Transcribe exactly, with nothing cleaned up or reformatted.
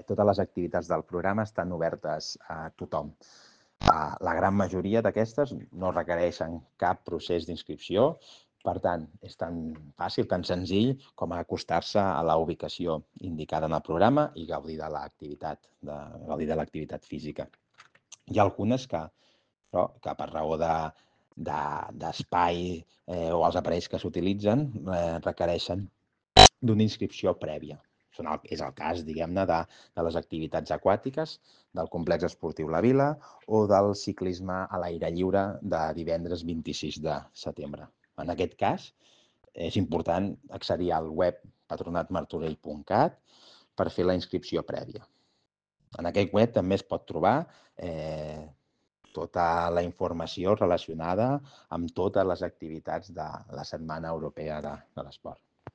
totes les activitats del programa estan obertes a tothom. La gran majoria d'aquestes no requereixen cap procés d'inscripció, per tant, és tan fàcil, tan senzill com acostar-se a la ubicació indicada en el programa i gaudir de l'activitat, de gaudir de l'activitat física. Hi ha algunes que, però, que per raó de d'espai eh, o els aparells que s'utilitzen eh, requereixen d'una inscripció prèvia. És el cas, diguem-ne, de, de les activitats aquàtiques, del complex esportiu La Vila o del ciclisme a l'aire lliure de divendres vint-i-sis de setembre. En aquest cas, és important accedir al web patronat martorell punt cat per fer la inscripció prèvia. En aquest web també es pot trobar eh, tota la informació relacionada amb totes les activitats de la Setmana Europea de, de l'Esport.